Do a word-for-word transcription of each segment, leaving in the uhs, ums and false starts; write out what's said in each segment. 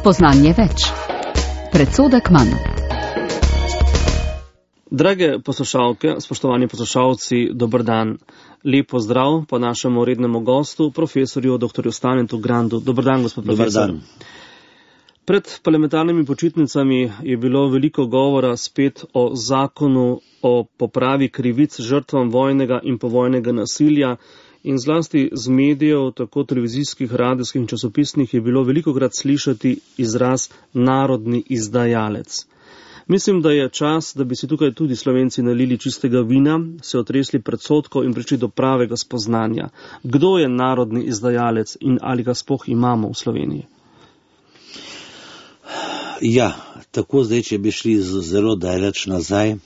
Spoznanje več. Predsodek manj. Drage poslušalke, spoštovani poslušalci, dober dan. Lep pozdrav po našemu rednemu gostu, profesorju doktorju Stanetu Grandu. Dober dan, gospod profesor. Dober dan. Pred parlamentarnimi počitnicami je bilo veliko govora spet o zakonu o popravi krivic žrtvam vojnega in povojnega nasilja in zlasti z medijev, tako televizijskih, radijskih in časopisnih, je bilo velikokrat slišati izraz narodni izdajalec. Mislim, da je čas, da bi si tukaj tudi Slovenci nalili čistega vina, se otresli predsodkov in prišli do pravega spoznanja. Kdo je narodni izdajalec in ali ga sploh imamo v Sloveniji? Ja, tako zdaj, če bi šli zelo daleč nazaj,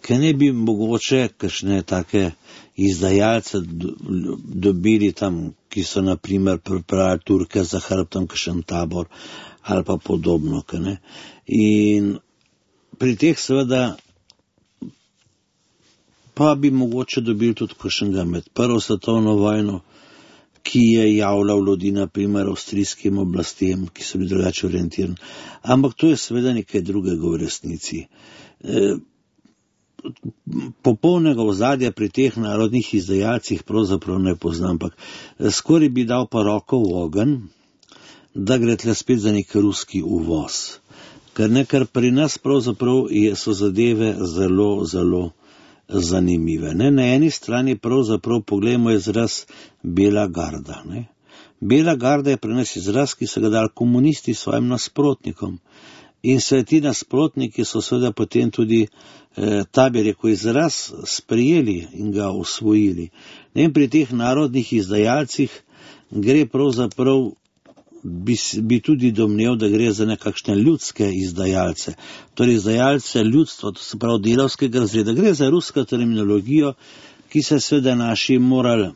ker ne bi mogoče kakšne take izdajalce dobili tam, ki so na primer pripravili Turke za hrbtom kakšen tabor ali pa podobno. Ne? In pri teh seveda pa bi mogoče dobili tudi kakšnega med prvo svetovno vojno, ki je javljal ljudi na primer avstrijskim oblastem, ki so bili drugače orientirani. Ampak to je seveda nekaj drugega v resnici. E, popolnega ozadja pri teh narodnih izdajalcih pravzaprav ne poznam, ampak skoraj bi dal pa roko v ogenj, da gre tle spet za nek ruski uvoz. Ker nekar pri nas pravzaprav so zadeve zelo, zelo zanimive. Ne? Na eni strani pravzaprav pogledamo izraz Bela garda. Ne? Bela garda je pri nas izraz, ki so ga dali komunisti svojim nasprotnikom. In se ti nasprotniki so seveda potem tudi eh, ta bi rekel izraz sprijeli in ga usvojili. In pri teh narodnih izdajalcih gre pravzaprav, bi, bi tudi domnev, da gre za nekakšne ljudske izdajalce. Torej izdajalce ljudstva, to se pravi delavskega razreda. Gre za rusko terminologijo, ki se seveda naši morali,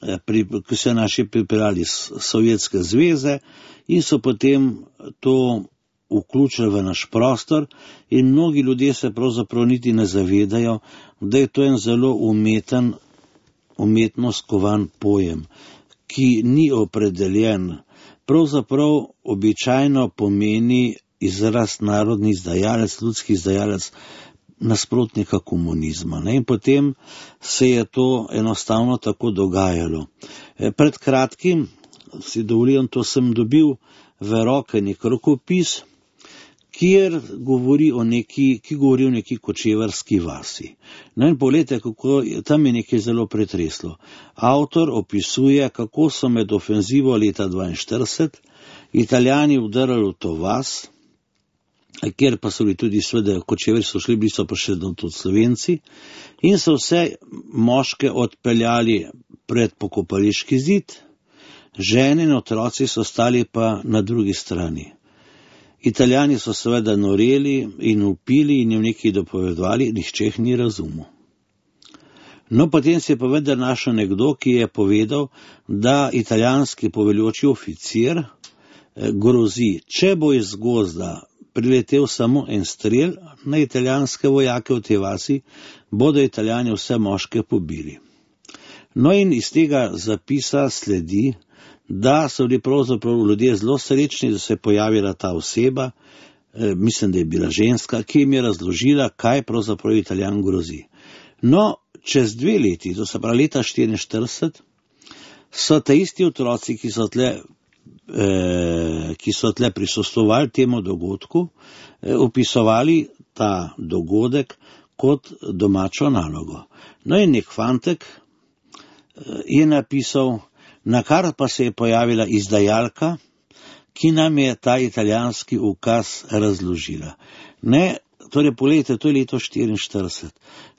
eh, pri, ki so naši pripeljali iz Sovjetske zveze in so potem to vključili v naš prostor in mnogi ljudje se pravzaprav niti ne zavedajo, da je to en zelo umeten, umetno skovan pojem, ki ni opredeljen. Pravzaprav običajno pomeni izraz narodni izdajalec, ljudski izdajalec nasprotnika komunizma. Ne? In potem se je to enostavno tako dogajalo. Pred kratkim, si dovolim, to sem dobil v roke nek rokopis, kjer govori o neki, ki govori o neki kočevarski vasi. No in pogledajte, kako tam je nekaj zelo pretreslo. Avtor opisuje, kako so med ofenzivo leta dvainštirideset Italijani vdrli v to vas, kjer pa so bili tudi sveda kočevari, so šli, bili so pa še tudi Slovenci, in so vse moške odpeljali pred pokopališki zid, žene in otroci so stali pa na drugi strani. Italijani so seveda noreli in upili in jim nekaj dopovedovali, nihče jih ni razumel. No, potem se je pa vendar našel nekdo, ki je povedal, da italijanski poveljoči oficir grozi, če bo iz gozda priletel samo en strel na italijanske vojake v tej vasi, bodo Italijani vse moške pobili. No in iz tega zapisa sledi, da so bili pravzaprav ljudje zelo srečni, da se je pojavila ta oseba, eh, mislim, da je bila ženska, ki jim je razložila, kaj pravzaprav Italijan grozi. No, čez dve leti, to se pravi leta štiriinštirideset, so te isti otroci, ki so tle, eh, ki so tle prisostvovali temu dogodku, eh, opisovali ta dogodek kot domačo nalogo. No in nek fantek eh, je napisal, na kar pa se je pojavila izdajalka, ki nam je ta italijanski ukaz razložila. Ne, torej, pogledajte, to je leto štiriinštirideset.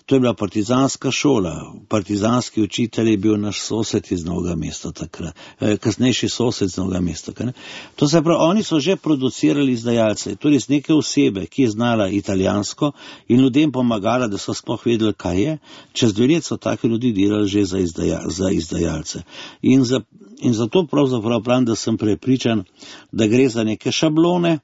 To je bila partizanska šola. Partizanski učitelj je bil naš sosed iz Novega mesta takrat, kasnejši sosed iz Novega mesta. Ne? To se pravi, oni so že producirali izdajalce, torej z neke osebe, ki je znala italijansko in ljudem pomagala, da so sploh vedeli, kaj je. Čez dve let so take ljudi delali že za, izdaja, za izdajalce. In, za, in zato pravzaprav pravim, da sem prepričan, da gre za neke šablone,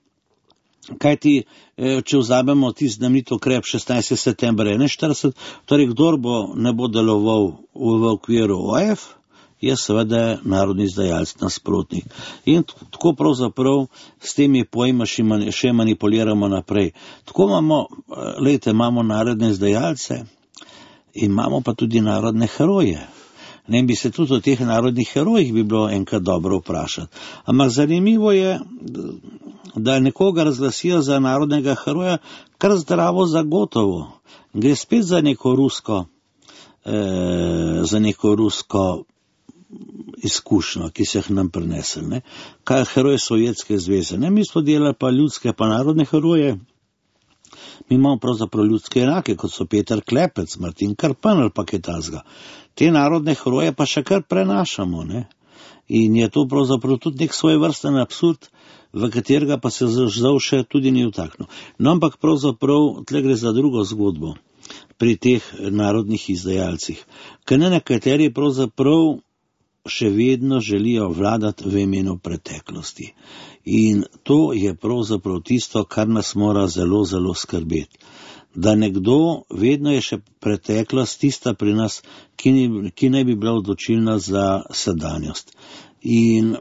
kajti, če vzamemo ti znamenit ukrep šestnajstega septembra enainštirideset, torej kdor bo ne bo deloval v, v okviru O F, je seveda narodni izdajalec nasprotnik. In tako pravzaprav s temi pojma še manipuliramo naprej. Tako imamo, lejte, imamo narodne izdajalce, imamo pa tudi narodne heroje. Ne bi se tudi o teh narodnih herojih bi bilo enkrat dobro vprašati. Ampak zanimivo je, da nekoga razglasijo za narodnega heroja kar zdravo zagotovo. Gre spet za neko rusko, eh, za neko rusko izkušnjo, ki se jih nam prinesel. Ne? Kaj je heroj Sovjetske zveze? Ne? Mi smo delali pa ljudske pa narodne heroje. Mi imamo pravzaprav ljudske enake, kot so Peter Klepec, Martin Krpan ali pa kaj takega. Te narodne heroje pa še kar prenašamo. Ne? In je to pravzaprav tudi nek svojevrsten absurd, v katerega pa se žal še tudi ni vtaknil. No, ampak pravzaprav tle gre za drugo zgodbo pri teh narodnih izdajalcih. Ker ne nekateri pravzaprav še vedno želijo vladati v imenu preteklosti. In to je pravzaprav tisto, kar nas mora zelo, zelo skrbeti. Da nekdo, vedno je še preteklost tista pri nas, ki, ni, ki ne bi bila odločilna za sedanjost. In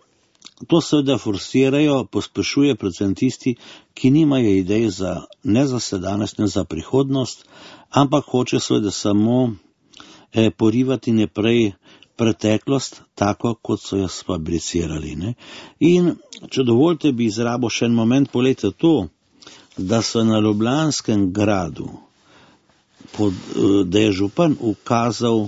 to seveda forsirajo, pospešuje predvsem tisti, ki nimajo idej za, ne za sedanjost, ne za prihodnost, ampak hoče seveda samo eh, porivati naprej preteklost, tako kot so jo sfabricirali. Ne? In če dovolite, bi izrabil še en moment, polete to, da so na Ljubljanskem gradu, pod, da je župan ukazal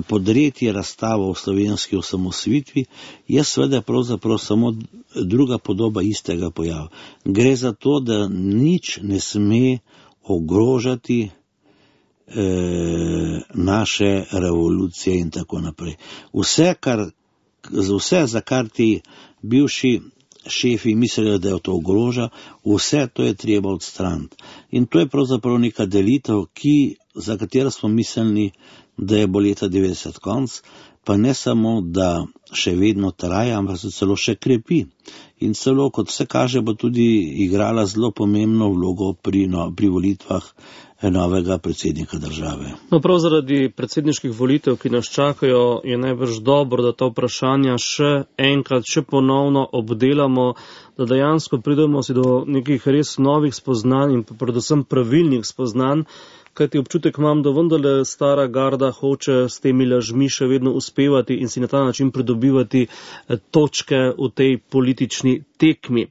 podreti razstavo o slovenski osamosvojitvi, je seveda pravzaprav samo druga podoba istega pojava. Gre za to, da nič ne sme ogrožati eh, naše revolucije in tako naprej. Vse, kar, vse za kar ti bivši šefi mislijo, da je to ogroža, vse to je treba odstraniti. In to je pravzaprav neka delitev, ki, za katero smo mislili, da je bo leta devetdeset konc, pa ne samo, da še vedno traja, ampak se celo še krepi. In celo, kot vse kaže, bo tudi igrala zelo pomembno vlogo pri, no, pri volitvah novega predsednika države. No, prav zaradi predsedniških volitev, ki nas čakajo, je najbrž dobro, da ta vprašanja še enkrat, še ponovno obdelamo, da dejansko pridemo si do nekih res novih spoznanj in predvsem pravilnih spoznanj, kajti občutek imam, da vendarle stara garda hoče s temi lažmi še vedno uspevati in si na ta način pridobivati točke v tej politični tekmi.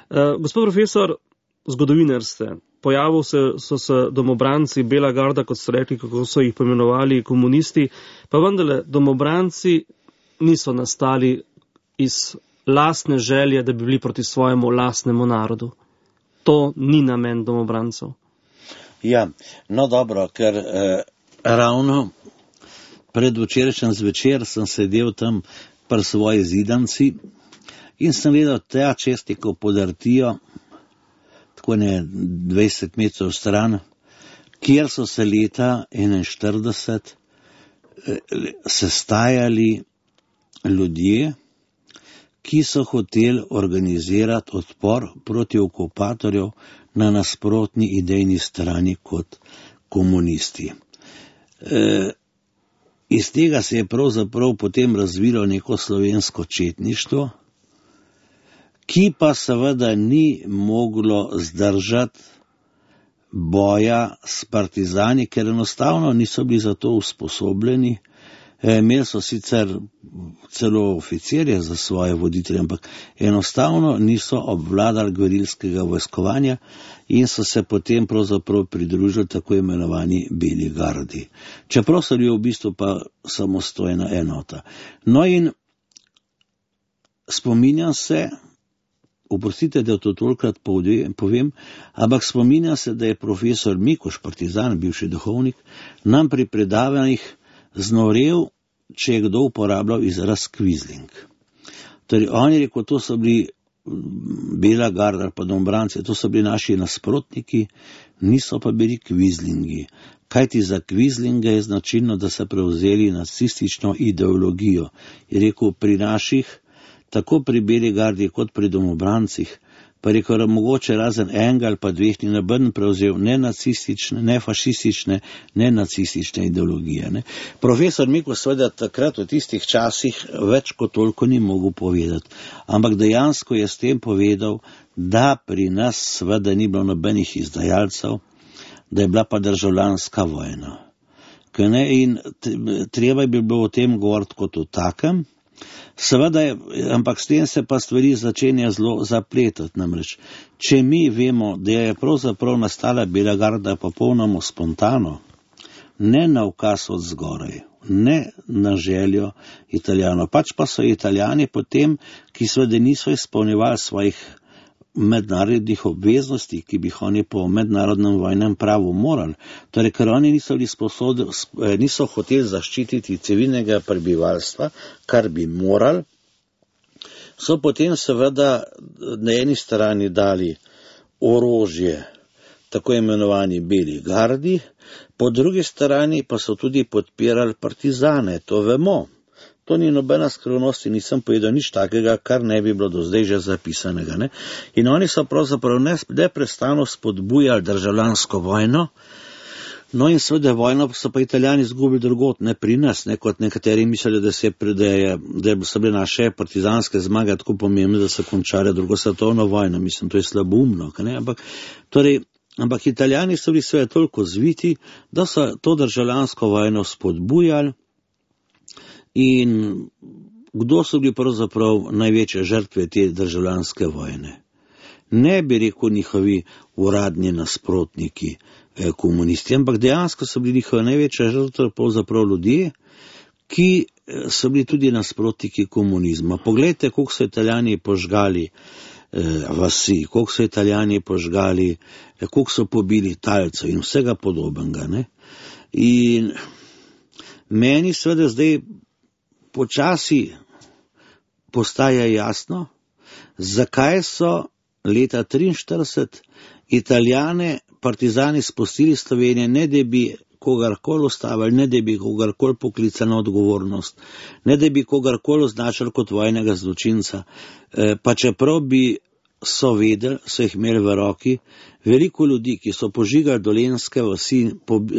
Uh, gospod profesor, zgodovinar ste. Pojavil se, so se domobranci, bela garda, kot ste rekli, kako so jih poimenovali komunisti, pa vendarle domobranci niso nastali iz lastne želje, da bi bili proti svojemu lastnemu narodu. To ni namen domobrancev. Ja, no dobro, ker eh, ravno pred včerajšnjem zvečer sem sedel tam pri svoji zidanci in sem gledal te česti, ko podrtijo, tako ne dvajset metrov stran, kjer so se leta enainštirideset eh, sestajali ljudje, ki so hoteli organizirati odpor proti okupatorjev na nasprotni idejni strani kot komunisti. E, iz tega se je pravzaprav potem razvilo neko slovensko četništvo, ki pa seveda ni moglo zdržati boja s partizani, ker enostavno niso bili za to usposobljeni. E, imeli so sicer celo oficirje za svoje voditelje, ampak enostavno niso obvladali gverilskega vojskovanja in so se potem pravzaprav pridružili tako imenovani beli gardi. Čeprav so bili v bistvu pa samostojna enota. No in spominjam se, oprostite, da to tolikrat povem, ampak spominjam se, da je profesor Mikoš, partizan, bivši duhovnik, nam pri predavanjih znorel, če je kdo uporabljal izraz kvizling. Torej, on je rekel, to so bili bela garda, pa domobranci, to so bili naši nasprotniki, niso pa bili kvizlingi. Kajti za kvizlinga je značilno, da so prevzeli nacistično ideologijo. Je rekel, pri naših, tako pri beli gardi kot pri domobrancih, pa rekel, da mogoče razen enega ali pa dveh ni noben prevzel ne nacistične, ne fašistične, ne nacistične ideologije. Ne. Profesor Miko seveda takrat v tistih časih več kot toliko ni mogel povedati, ampak dejansko je s tem povedal, da pri nas seveda ni bilo nobenih izdajalcev, da je bila pa državljanska vojna. Ne, in treba je bilo o tem govoriti kot o takem, seveda je, ampak s tem se pa stvari začenja zelo zapletati, namreč, če mi vemo, da je pravzaprav nastala Bela garda popolnoma spontano, ne na ukaz od zgoraj, ne na željo Italijanov, pač pa so Italijani potem, ki seveda niso izpolnjevali svojih mednarodnih obveznosti, ki bi oni po mednarodnem vojnem pravu morali, torej, ker oni niso bili sposobni, niso hoteli zaščititi civilnega prebivalstva, kar bi morali, so potem seveda na eni strani dali orožje tako imenovani Beli gardi, po drugi strani pa so tudi podpirali partizane, to vemo. To ni nobena skrivnost in nisem povedal nič takega, kar ne bi bilo do zdaj že zapisanega. Ne? In oni so pravzaprav neprestano spodbujali državljansko vojno, no in seveda vojno so pa Italijani izgubili drugot, ne pri nas, ne kot nekateri mislili, da, se, da, je, da so bile naše partizanske zmage tako pomembne, da so končale drugo svetovno vojno. Mislim, to je slaboumno. Ampak, torej, ampak Italijani so bili sve toliko zviti, da so to državljansko vojno spodbujali. In kdo so bili pravzaprav največje žrtve te državljanske vojne? Ne bi rekel njihovi uradni nasprotniki, eh, komunisti, ampak dejansko so bili njihove največje žrtve pravzaprav ljudje, ki so bili tudi nasprotniki komunizma. Poglejte, koliko so Italijani požgali eh, vasi, koliko so Italijani požgali, eh, koliko so pobili talcev in vsega podobnega. Ne? In meni seveda zdaj počasi postaja jasno, zakaj so leta triinštirideset Italijane partizani spustili Slovenije, ne da bi kogarkoli ustavili, ne da bi kogarkoli poklicali na odgovornost, ne da bi kogarkoli označili kot vojnega zločinca, pa čeprav bi so vedeli, so jih imeli v roki, veliko ljudi, ki so požigali dolenjske vasi,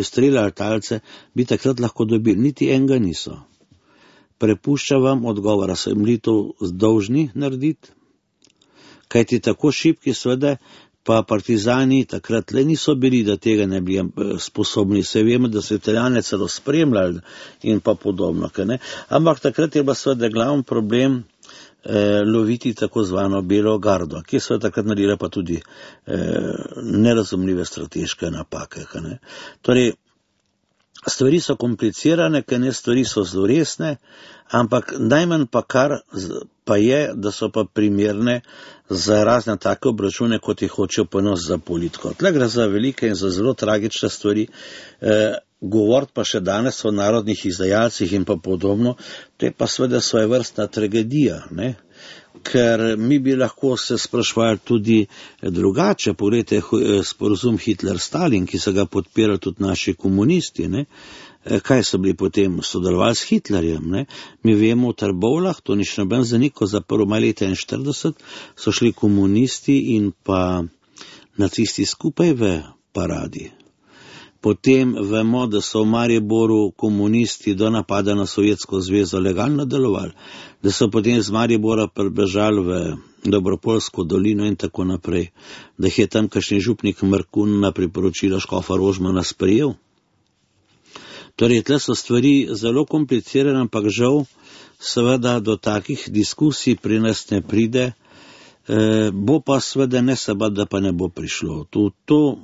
streljali talce, bi takrat lahko dobili, niti enega niso. Prepušča vam odgovora, so jim bili to dolžni narediti, kajti tako šibki seveda pa partizani takrat le niso bili, da tega ne bi sposobni. Se vemo, da so Italijane celo spremljali in pa podobno. Ne? Ampak takrat je bila seveda glavni problem eh, loviti tako zvano Belo gardo, ki so takrat naredila pa tudi eh, nerazumljive strateške napake. Ne? Torej, stvari so komplicirane, ker ne stvari so zelo resne, ampak najmanj pa kar pa je, da so pa primerne za razne take obračune, kot jih hočejo ponos za politiko. Tle gre za velike in za zelo tragične stvari. E, govoriti pa še danes o narodnih izdajalcih in pa podobno, to je pa seveda svojevrstna tragedija, ne? Ker mi bi lahko se sprašvali tudi drugače. Poglejte sporazum Hitler-Stalin, ki so ga podpirali tudi naši komunisti, ne? Kaj so bili potem sodelovali s Hitlerjem, ne? Mi vemo v Trbovljah, to ni še noben zanik, za prvo maj leta enainštirideset so šli komunisti in pa nacisti skupaj v paradi. Potem vemo, da so v Mariboru komunisti do napada na Sovjetsko zvezo legalno delovali, da so potem z Maribora prebežali v Dobropolsko dolino in tako naprej, da jih je tamkajšnji župnik Mrkun na priporočilo škofa Rožmana sprejel. Torej, tle so stvari zelo komplicirane, ampak žal seveda do takih diskusij pri nas ne pride, e, bo pa seveda ne seba, da pa ne bo prišlo. To, to,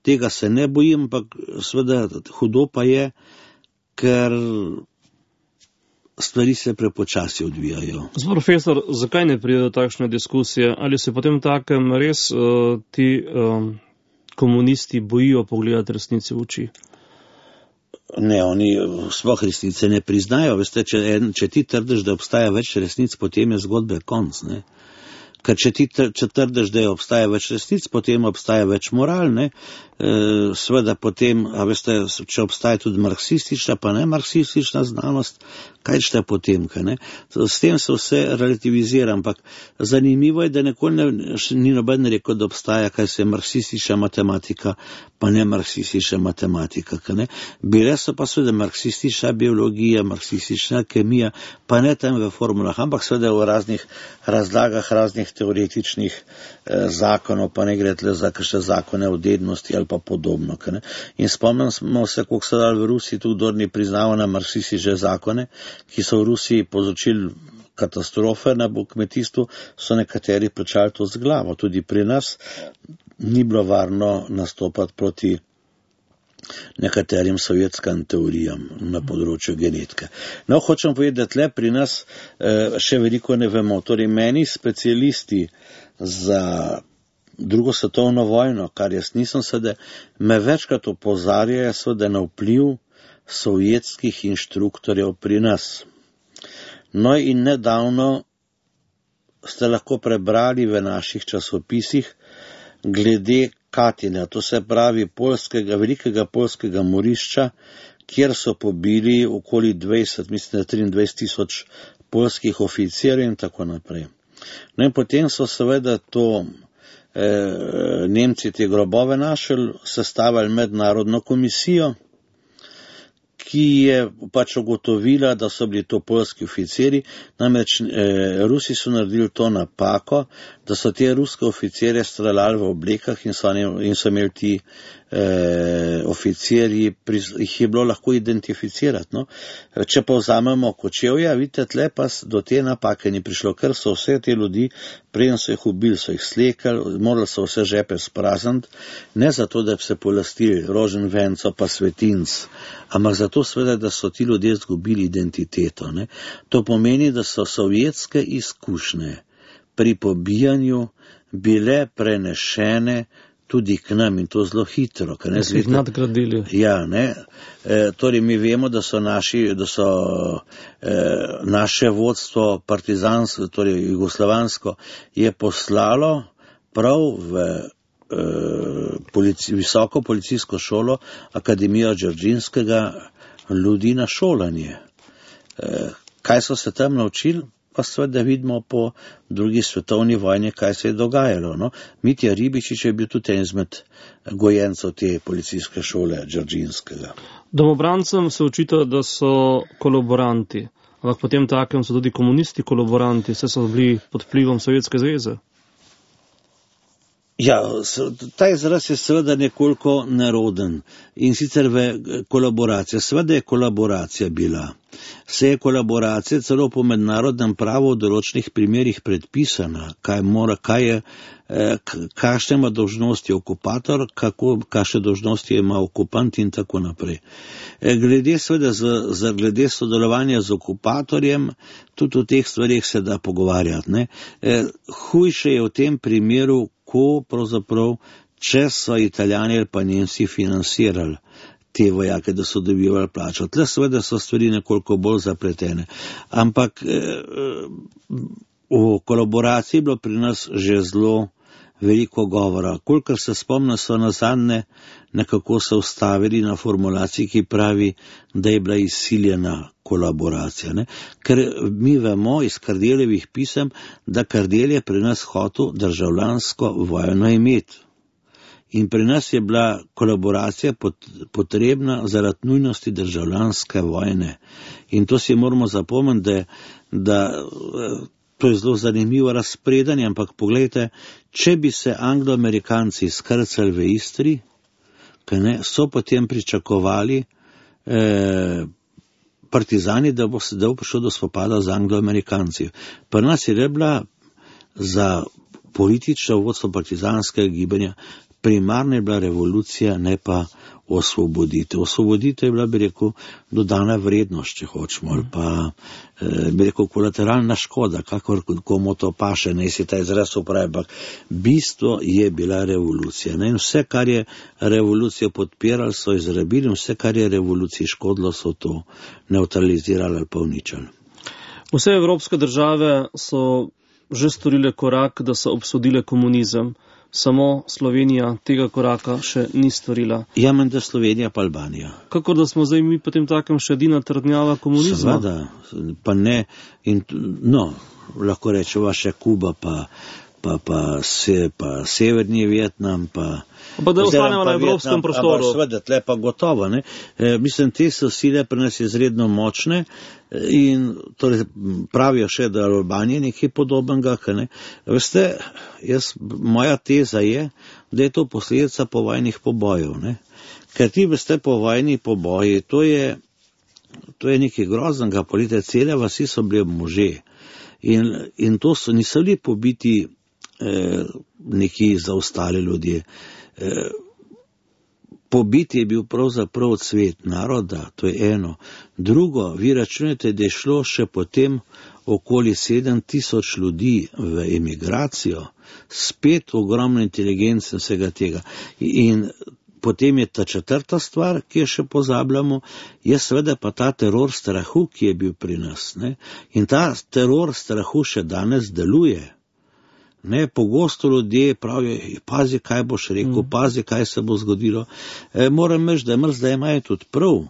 tega se ne bojim, ampak seveda hudo pa je, ker stvari se prepočasi odvijajo. Gospod profesor, zakaj ne pride do takšne diskusije? Ali se potem takem res uh, ti um, komunisti bojijo pogledati resnici v oči? Ne, oni sploh resnice ne priznajo. Veste, če, če ti trdiš, da obstaja več resnic, potem je zgodbe konc. Ne? Ker če ti četrdiš, da obstaja več resnic, potem obstaja več moral, ne? E, seveda potem, a veste, če obstaja tudi marksistična, pa ne marksistična znanost, kaj šte potem, kaj ne? S tem se vse relativizira, ampak zanimivo je, da nikoli ne, ni noben rekel, da obstaja, kaj se je marksistična matematika, pa ne marksistična matematika, kaj ne? Bile so pa seveda marksistična biologija, marksistična kemija, pa ne tam v formulah, ampak seveda v raznih razlagah, raznih teoretičnih eh, zakonov, pa ne gre tle za kakšne zakone o dednosti ali pa podobno. Ne? In spomnimo se, koliko so dali v Rusiji tudi dorni priznava na marksistične zakone, ki so v Rusiji povzročili katastrofe na kmetijstvu, so nekateri plačali to z glavo. Tudi pri nas ni bilo varno nastopati proti nekaterim sovjetskim teorijam na področju genetike. No, hočem povedati, da tle pri nas eh, še veliko ne vemo. Torej, meni specialisti za drugo svetovno vojno, kar jaz nisem sedaj, me večkrat opozarjajo seveda na vpliv sovjetskih inštruktorjev pri nas. No in nedavno ste lahko prebrali v naših časopisih glede Katina, to se pravi polskega, velikega polskega morišča, kjer so pobili okoli dvajset, mislim, da triindvajset tisoč polskih oficirjev in tako naprej. No in potem so seveda to eh, Nemci te grobove našli, sestavili mednarodno komisijo, ki je pač ugotovila, da so bili to polski oficiri, namreč eh, Rusi so naredili to napako, da so te ruske oficirje streljali v oblekah in so, in so imeli ti eh, oficirji, jih je bilo lahko identificirati. No? Če pa vzamemo Kočevja, vidite, tle pa do te napake ni prišlo, ker so vse te ljudi, preden so jih ubili, so jih slekali, morali so vse žepe sprazniti, ne zato, da bi se polastili rožen venco pa svetinc, ampak zato seveda, da so ti ljudje izgubili identiteto. Ne? To pomeni, da so sovjetske izkušnje pri pobijanju bile prenešene tudi k nam in to zelo hitro. Da so jih nadgradili. Ja, ne. E, torej mi vemo, da so, naši, da so e, naše vodstvo partizansko, torej jugoslovansko, je poslalo prav v e, polici, visoko policijsko šolo Akademijo Đerđinskega ljudi na šolanje. E, kaj so se tam naučili? Pa seveda vidimo po drugi svetovni vojni, kaj se je dogajalo. No? Mitja Ribičič je bil tudi en izmed gojencev te policijske šole Đerđinskega. Domobrancem se očita, da so kolaboranti, ampak potem takem so tudi komunisti kolaboranti, vse so bili pod vplivom Sovjetske zveze. Ja, ta izraz je seveda nekoliko neroden in sicer v kolaboraciji. Seveda je kolaboracija bila. Se je kolaboracija celo po mednarodnem pravu v določenih primerih predpisana, kaj mora, kaj je, kakšne ima dolžnosti okupator, kako, kakšne dolžnosti ima okupant in tako naprej. Glede seveda, z, z, glede sodelovanja z okupatorjem, tudi o teh stvarih se da pogovarjati. Ne? Hujše je v tem primeru, ko pravzaprav, če so Italijani ali pa Nemci financirali te vojake, da so dobivali plačo. Tle seveda so stvari nekoliko bolj zapletene. Ampak eh, v kolaboraciji je bilo pri nas že zelo veliko govora. Kolikor se spomnim, so nazadnje nekako se ustavili na formulaciji, ki pravi, da je bila izsiljena kolaboracija. Ne? Ker mi vemo iz Kardeljevih pisem, da Kardelj je pri nas hotel državljansko vojno imeti. In pri nas je bila kolaboracija potrebna zaradi nujnosti državljanske vojne. In to si moramo zapomniti, da, da to je zelo zanimivo razpredanje, ampak pogledajte, če bi se Anglo-Amerikanci skrcali v Istri, ne, so potem pričakovali eh, partizani, da bo, da bo prišlo do spopada z Anglo-Amerikanci. Pri nas je bila za politično vodstvo partizanskega gibanja primarna je bila revolucija, ne pa osvoboditev. Osvoboditev je bila, bi rekel, dodana vrednost, če hočemo, ali pa, eh, bi rekel, kolateralna škoda, kakor komu to paše, ne si ta izraz upravi, ampak bistvo je bila revolucija. Ne? In vse, kar je revolucijo podpirali, so izrabili, vse, kar je revoluciji škodilo, so to neutralizirali ali pa uničali. Vse evropske države so že storile korak, da so obsodile komunizem. Samo Slovenija tega koraka še ni storila. Ja, menda Slovenija pa Albanija. Kakor da smo zdaj mi potem takem še edina trdnjava komunizma? Seveda, pa ne, in, no, lahko rečeva še Kuba, pa, pa, pa, se, pa Severni Vietnam, pa... Pa da ostanemo na evropskem prostoru. Ampak seveda, tle pa gotovo, ne. E, mislim, te so sile pri nas izredno močne in torej pravijo še, da Albanija nekaj podobnega, ne. Veste, jaz, moja teza je, da je to posledica povojnih pobojev, ne. Ker ti veste, povojni poboji, to je, to je nekaj groznega, polite, cele vasi so bile može. In, in to so, niso bili pobiti eh, neki zaostali ljudje. Pobiti je bil pravzaprav cvet naroda, to je eno. Drugo, vi računate, da je šlo še potem okoli sedem tisoč ljudi v emigracijo, spet ogromno inteligence in vsega tega. In potem je ta četrta stvar, ki jo še pozabljamo, je seveda pa ta teror strahu, ki je bil pri nas. Ne? In ta teror strahu še danes deluje. Ne, pogosto ljudje pravijo, pazi, kaj boš rekel, pazi, kaj se bo zgodilo. E, moram reči, da je zdaj imajo tudi prav,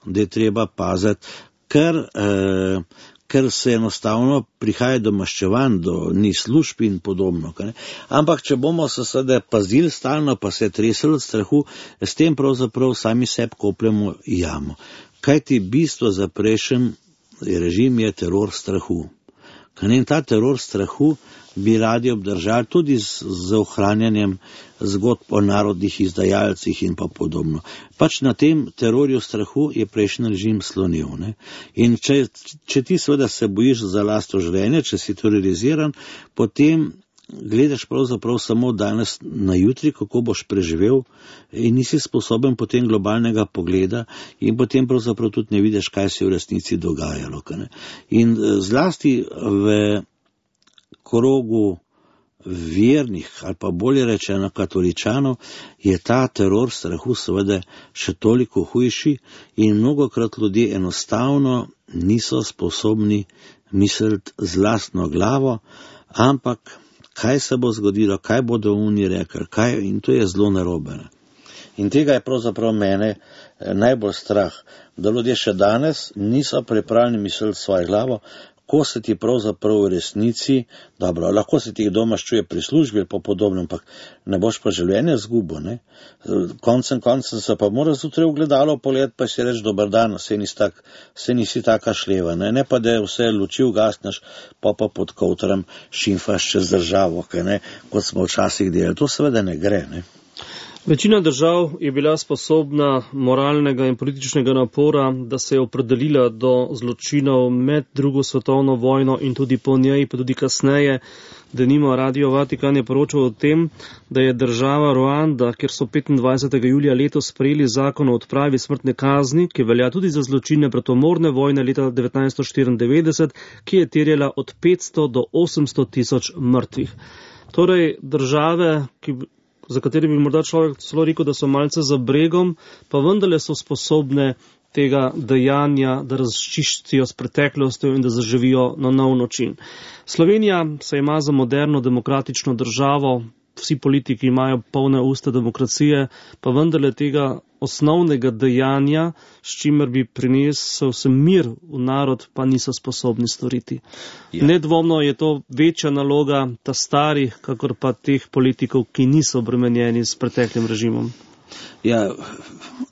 da je treba paziti, ker, e, ker se enostavno prihaja do maščevanj, do ni služb in podobno. Ne. Ampak, če bomo se sedaj pazili stalno, pa se tresli od strahu, s tem pravzaprav sami sebi kopljemo jamo. Kaj ti bistvo za prejšnji režim je teror strahu. In ta teror strahu bi radi obdržali tudi z, z ohranjanjem zgodb o narodnih izdajalcih in pa podobno. Pač na tem terorju strahu je prejšnji režim slonil. Ne? In če, če ti seveda se bojiš za lastno življenje, če si teroriziran, potem gledaš pravzaprav samo danes na jutri, kako boš preživel in nisi sposoben potem globalnega pogleda in potem pravzaprav tudi ne vidiš, kaj se v resnici dogajalo. Ne? In zlasti v krogu vernih ali pa bolje rečeno katoličanov je ta teror strahu seveda še toliko hujši in mnogokrat ljudje enostavno niso sposobni misliti z lastno glavo, ampak kaj se bo zgodilo, kaj bodo oni rekli, kaj, in to je zelo narobe. In tega je pravzaprav mene najbolj strah, da ljudje še danes niso pripravljeni misliti svojo glavo, ko se ti pravzaprav v resnici, dobro, lahko se ti doma ščuje pri službi ali pa podobno, ampak ne boš pa življenje zgubo, ne. Koncem koncem se pa mora zjutraj v gledalo pogled, pa si reči, dober dan, se nisi, tak, se nisi taka šleva, ne, ne pa da vse luči ugasneš, pa pa pod kovtrom šimfaš čez državo, kaj, ne, kot smo včasih delali. To seveda ne gre, ne. Večina držav je bila sposobna moralnega in političnega napora, da se je opredelila do zločinov med drugo svetovno vojno in tudi po njej, pa tudi kasneje. Denimo Radio Vatikan je poročal o tem, da je država Ruanda, kjer so petindvajsetega julija letos sprejeli zakon o odpravi smrtne kazni, ki velja tudi za zločine bratomorne vojne leta devetnajststo štiriindevetdeset, ki je terjala od petsto do osemsto tisoč mrtvih. Torej države, ki za kateri bi morda človek celo rekel, da so malce za bregom, pa vendarle so sposobne tega dejanja, da razčistijo s preteklostjo in da zaživijo na nov način. Slovenija se ima za moderno demokratično državo, vsi politiki imajo polne usta demokracije, pa vendarle tega osnovnega dejanja, s čimer bi prinesel se mir v narod, pa niso sposobni storiti. Ja. Nedvomno je to večja naloga ta starih, kakor pa teh politikov, ki niso obremenjeni s preteklim režimom. Ja,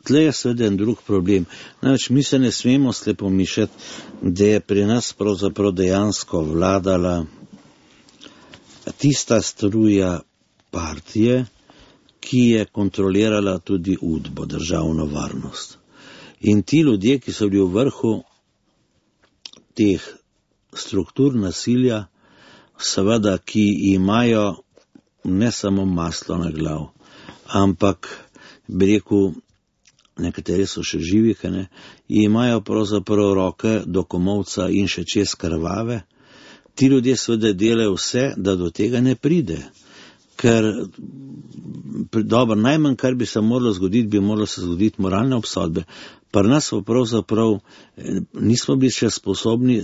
tle je seveda en drug problem. Namreč mi se ne smemo slepo mišljati, da je pri nas pravzaprav dejansko vladala tista struja partije, ki je kontrolirala tudi udbo, državno varnost. In ti ljudje, ki so bili v vrhu teh struktur nasilja, seveda, ki imajo ne samo maslo na glav, ampak, bi rekel, nekateri so še živi, ne, imajo pravzaprav roke do komolca in še čez krvave. Ti ljudje seveda delajo vse, da do tega ne pride. Ker, dobro, najmanj, kar bi se moralo zgoditi, bi moralo se zgoditi moralne obsodbe. Pri nas pa pravzaprav nismo bili še sposobni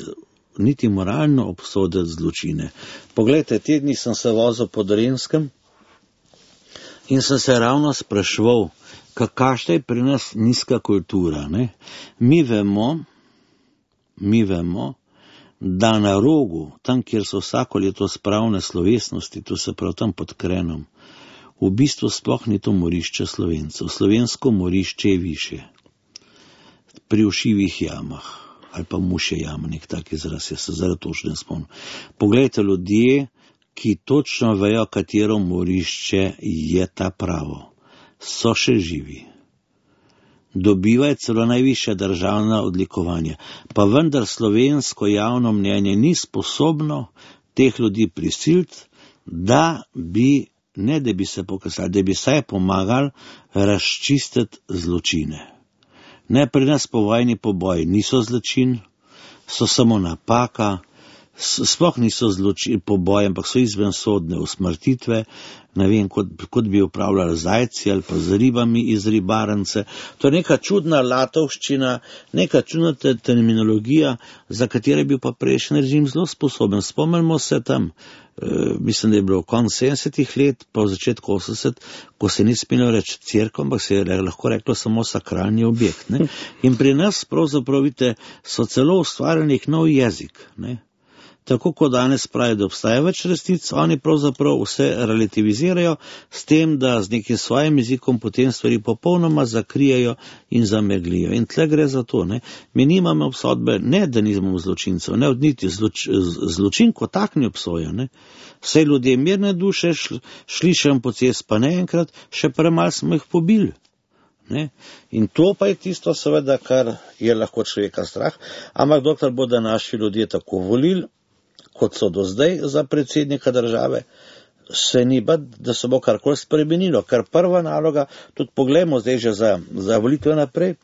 niti moralno obsoditi zločine. Poglejte, te dni sem se vozil po Dolenjskem in sem se ravno spraševal, kakšna je pri nas nizka kultura. Ne? Mi vemo, mi vemo, da na Rogu, tam, kjer so vsako leto spravne slovesnosti, to se prav tam pod Krenom, v bistvu sploh ni to morišče Slovencev. Slovensko morišče je više. Pri Všivih jamah, ali pa Mušje jama, nek tak izraz, jaz se zaradi točno ne spomnim. Poglejte, ljudje, ki točno vejo, katero morišče je ta pravo, so še živi. Dobivajo celo najvišja državna odlikovanja. Pa vendar slovensko javno mnenje ni sposobno teh ljudi prisiliti, da bi, ne da bi se pokazali, da bi saj pomagali razčistiti zločine. Ne, pri nas povojni poboji niso zločin, so samo napaka, sploh niso zločin poboji, ampak so izvensodne usmrtitve, ne vem, kot, kot bi upravljali zajci ali pa z ribami iz ribarnice. To je neka čudna latovščina, neka čudna terminologija, za katero je bil pa prejšnji režim zelo sposoben. Spomnimo se tam, e, mislim, da je bilo konec sedemdesetih let, pa v začetku osemdesetih, ko se ni smelo reči cerkev, ampak se je lahko reklo samo sakralni objekt. Ne? In pri nas pravzaprav, vidite, so celo ustvarjali nek nov jezik, ne? Tako kot danes pravi, da obstaja več resnic, oni pravzaprav vse relativizirajo s tem, da z nekim svojim jezikom potem stvari popolnoma zakrijajo in zameglijo. In tle gre za to, ne. Mi nimamo obsodbe, ne da nismo zločincev, ne odniti zloč, zločin, ko tak ni obsoja, ne. Vse ljudje mirne duše, šli še po cest pa ne enkrat, še premalo smo jih pobili. Ne? In to pa je tisto seveda, kar je lahko človeka strah, ampak dokler bodo naši ljudje tako volili, kot so do zdaj za predsednika države, se ni bad, da se bo karkoli spremenilo, ker prva naloga, tudi poglejmo zdaj že za, za volitve naprej,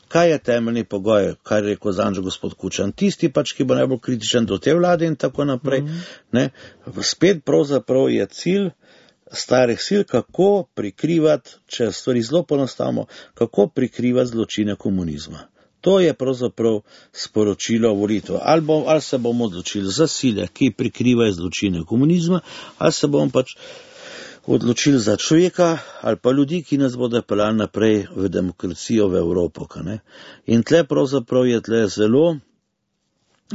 kaj je temeljni pogoj, kar je rekel zanj gospod Kučan, tisti pač, ki bo najbolj kritičen do te vlade in tako naprej, mm-hmm. ne? Spet pravzaprav je cilj starih sil, kako prikrivati, če stvari zelo poenostavimo, kako prikrivati zločine komunizma. To je pravzaprav sporočilo volitev. Ali, bom, ali se bomo odločili za sile, ki prikrivajo zločine komunizma, ali se bomo pač odločili za človeka, ali pa ljudi, ki nas bodo peljali naprej v demokracijo, v Evropo. Ne? In tle pravzaprav je tle zelo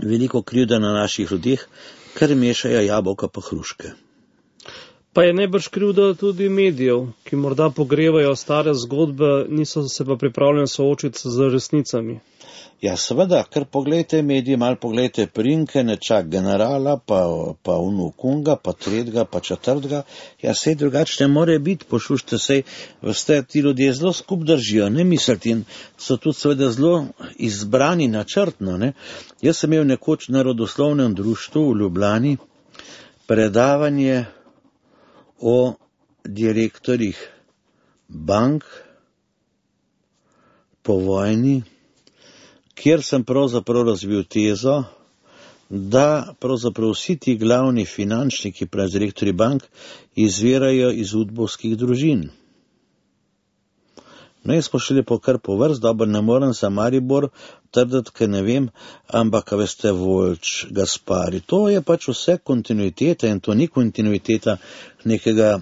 veliko krivda na naših ljudeh, ker mešajo jabolka pa hruške. Pa je najbrž krivda tudi medijev, ki morda pogrevajo stare zgodbe, niso se pa pripravljeni soočiti z resnicami. Ja, seveda, ker pogledajte medije, malo pogledajte Prinke, nečak generala, pa, pa unukunga, pa tretjega, pa četrtega. Ja, sej drugače ne more biti, pošušte sej, veste, ti ljudje zelo skup držijo, ne misliti, in so tudi seveda zelo izbrani načrtno, ne. Jaz sem imel nekoč na rodoslovnem društvu v Ljubljani predavanje o direktorjih bank po vojni, kjer sem pravzaprav razvil tezo, da pravzaprav vsi ti glavni finančniki, pravi direktorji bank, izvirajo iz udbovskih družin. No, jaz smo šli po kar po vrst, dobro, ne morem za Maribor trditi, ker ne vem, ampak, veste, Volč, Gaspari, to je pač vse kontinuiteta in to ni kontinuiteta nekega,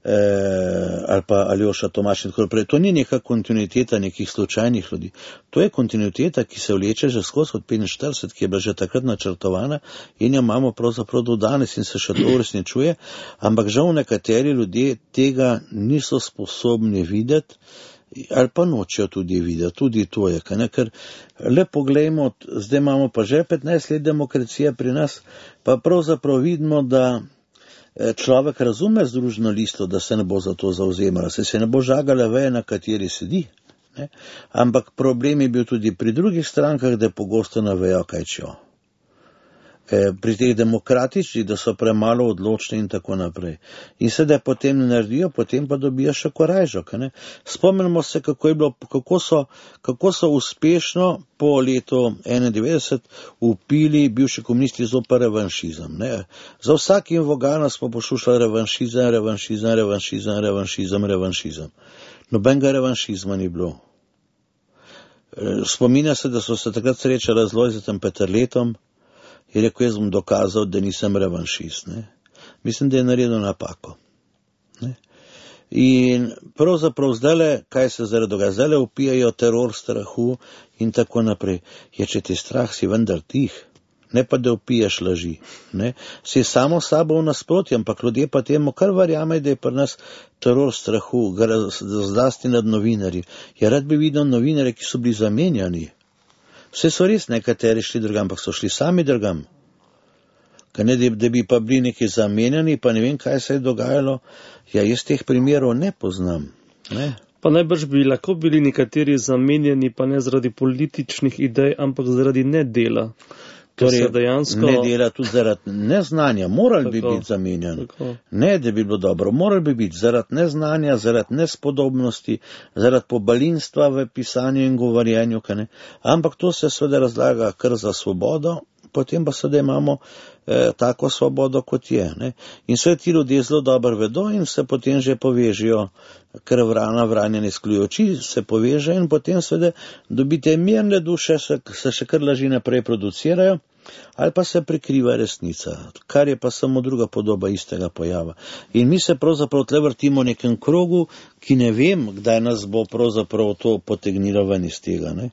eh, ali pa Aljoša Tomaš in tako naprej, to ni neka kontinuiteta nekih slučajnih ljudi, to je kontinuiteta, ki se vleče že skozi od petinštirideset, ki je bila že takrat načrtovana in jo imamo pravzaprav do danes in se še to uresničuje, ampak žal nekateri ljudje tega niso sposobni videti, ali pa nočejo tudi videti, tudi to je, ne? Ker le poglejmo, zdaj imamo pa že petnajst let demokracije pri nas, pa pravzaprav vidimo, da človek razume Združeno listo, da se ne bo za to zauzemala, se se ne bo žagala veja, na kateri sedi, ne? Ampak problem je bil tudi pri drugih strankah, da pogosto ne vejo, kaj čejo. Pri teh demokratičnih, da so premalo odločni in tako naprej. In sedaj potem ne naredijo, potem pa dobijo še korajžok. Ne? Spomnimo se, kako, je bilo, kako, so, kako so uspešno po letu enaindevetdeset upili bivši komunisti zoper revanšizem. Ne? Za vsakim vogalom smo poslušali revanšizem, revanšizem, revanšizem, revanšizem, revanšizem. Nobenega revanšizma ni bilo. Spominja se, da so se takrat srečali z Lojzetom Peterletom, je rekel, jaz bom dokazal, da nisem revanšist. Ne. Mislim, da je naredil napako. Ne. In pravzaprav zdajle, kaj se zdaj dogaja, zdajle upijajo teror strahu in tako naprej. Je, če ti strah, si vendar tih, ne pa da upiješ laži. Ne. Si samo sabo v nasprotju, ampak ljudje pa temu kar verjame, da je pri nas teror strahu, zlasti nad novinarji. Ja, rad bi videl novinarje, ki so bili zamenjani. Vse so res nekateri šli drugam, ampak so šli sami drugam. Kaj ne, da bi pa bili neki zamenjani, pa ne vem, kaj se je dogajalo. Ja, jaz teh primerov ne poznam. Ne? Pa najbrž bi lahko bili nekateri zamenjani, pa ne zaradi političnih idej, ampak zaradi nedela. Torej, dejansko... ne dela tudi zaradi neznanja, morali bi biti zamenjani. Ne, da bi bilo dobro, morali bi biti zaradi neznanja, zaradi nespodobnosti, zaradi pobalinstva v pisanju in govorjenju. Ampak to se seveda razlaga kar za svobodo, potem pa seveda imamo eh, tako svobodo, kot je. Ne? In sve ti ljudje zelo dobro vedo in se potem že povežijo, ker vrana vranja ne skluje oči, se poveže in potem seveda dobite mirne duše, se, se še kar laži naprej producirajo, ali pa se prikriva resnica, kar je pa samo druga podoba istega pojava. In mi se pravzaprav tle vrtimo v nekem krogu, ki ne vem, kdaj nas bo pravzaprav to potegnilo ven iz tega. Ne?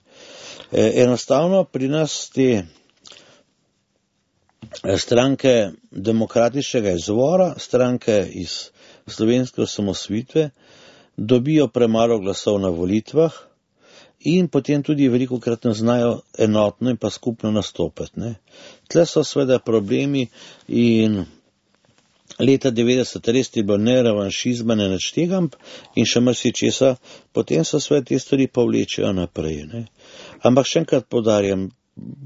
E, enostavno pri nas te stranke demokratičnega izvora, stranke iz slovenske osamosvojitve, dobijo premalo glasov na volitvah in potem tudi veliko krat ne znajo enotno in pa skupno nastopiti. Ne. Tle so seveda problemi in leta devetdeset res je bilo ne revanšizma, ne nič tega in še marsičesa, potem so seveda te stvari pa vlečejo naprej. Ne. Ampak še enkrat poudarjam,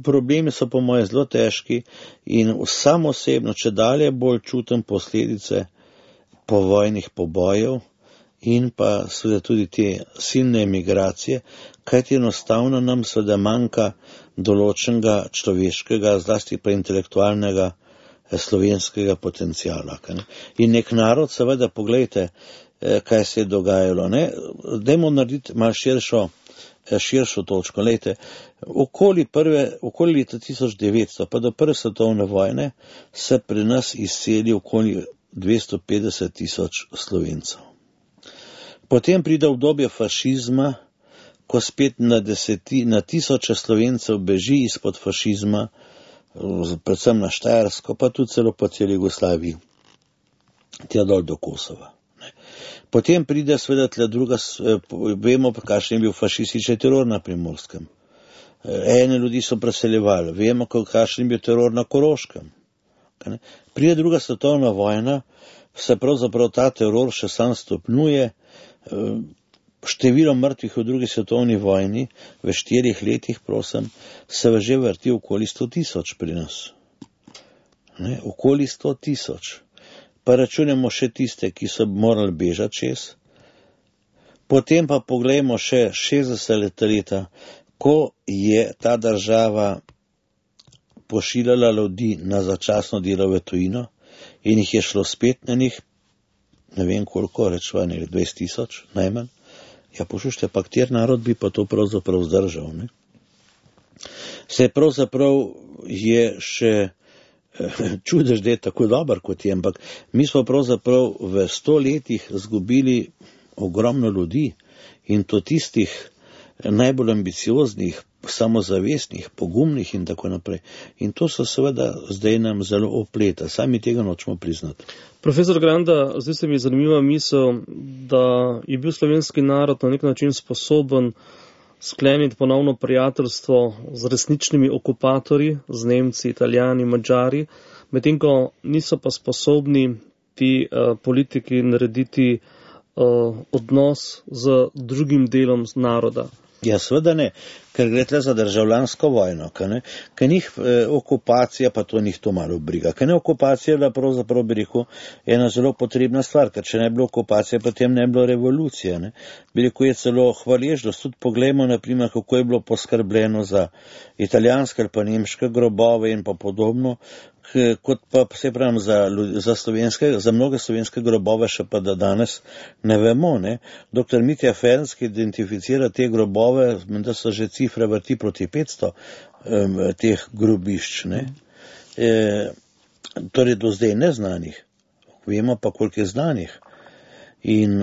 problemi so po moje zelo težki in sam osebno, če dalje bolj čutim posledice povojnih pobojev in pa seveda tudi te silne emigracije, kajti enostavno nam seveda manjka določenega človeškega, zlasti pa intelektualnega slovenskega potencijala. In nek narod, seveda, poglejte, kaj se je dogajalo. Ne? Dajmo narediti malo širšo širšo točko. Lejte, okoli, prve, okoli leta tisoč devetsto pa do prve svetovne vojne se pri nas izseli okoli dvesto petdeset tisoč Slovencev. Potem pride obdobje fašizma, ko spet na, deseti, na tisoče Slovencev beži izpod fašizma, predvsem na Štajersko, pa tudi celo po celi Jugoslaviji, tja dol do Kosova. Potem pride seveda tle druga, vemo, kakšen je bil fašistični teror na Primorskem. Ene ljudi so preseljevali, vemo, kakšen je bil teror na Koroškem. Pride druga svetovna vojna, se pravzaprav ta teror še sam stopnjuje, število mrtvih v drugi svetovni vojni v štirih letih, prosim, se že vrti okoli sto tisoč pri nas. Ne, okoli sto tisoč. Pa računamo še tiste, ki so morali bežati čez. Potem pa pogledamo še šestdeseta leta, ko je ta država pošiljala ljudi na začasno delo v tujino in jih je šlo spet na njih, ne vem koliko, rečva, ne, dvajset tisoč, najmanj. Ja, poslušajte, pa kjer narod bi pa to pravzaprav zdržal, ne? Se pravzaprav je še čudež, da je tako dober, kot je, ampak mi smo pravzaprav v sto letih zgubili ogromno ljudi in to tistih najbolj ambicioznih, samozavestnih, pogumnih in tako naprej. In to so seveda zdaj nam zelo opleta, sami tega nočemo priznati. Profesor Granda, zdaj se mi je zanimiva misel, da je bil slovenski narod na nek način sposoben skleniti ponovno prijateljstvo z resničnimi okupatorji, z Nemci, Italijani, Madžari, medtem ko niso pa sposobni ti uh, politiki narediti uh, odnos z drugim delom naroda. Ja, seveda ne, ker gre tle za državljansko vojno, ker njih eh, okupacija, pa to njih to malo briga, ker ne okupacija je bila pravzaprav, bi rekel, ena zelo potrebna stvar, ker če ne bi bilo okupacije, potem ne bi bilo revolucije. Ne. Bi rekel, je celo hvaležnost, tudi poglejmo, naprimer, kako je bilo poskrbljeno za italijanske ali pa nemške grobove in pa podobno, kot pa se pravim za, za, slovenske, za mnoge slovenske grobove še pa da danes ne vemo. Ne. Doktor Mitja Ferenc, ki identificira te grobove, da so že cifre vrti proti petsto um, teh grobišč. Ne. eh, torej do zdaj neznanih, vemo pa, koliko je znanih. In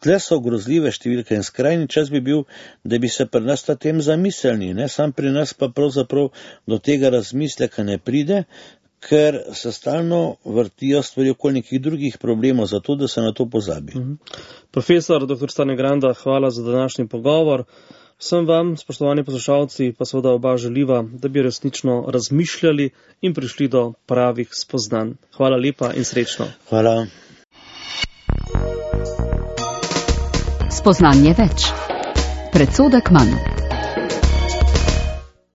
tle so grozljive številke in skrajni čas bi bil, da bi se pri nas ta tem zamislili, ne, sam pri nas pa pravzaprav do tega razmisleka ne pride, ker se stalno vrtijo stvari okoli nekih drugih problemov, zato da se na to pozabi. Mhm. Profesor doktor Stane Granda, hvala za današnji pogovor. Vsem vam, spoštovani poslušalci, pa seveda oba želiva, da bi resnično razmišljali in prišli do pravih spoznanj. Hvala lepa in srečno. Hvala. Spoznanje več. Predsodek manj.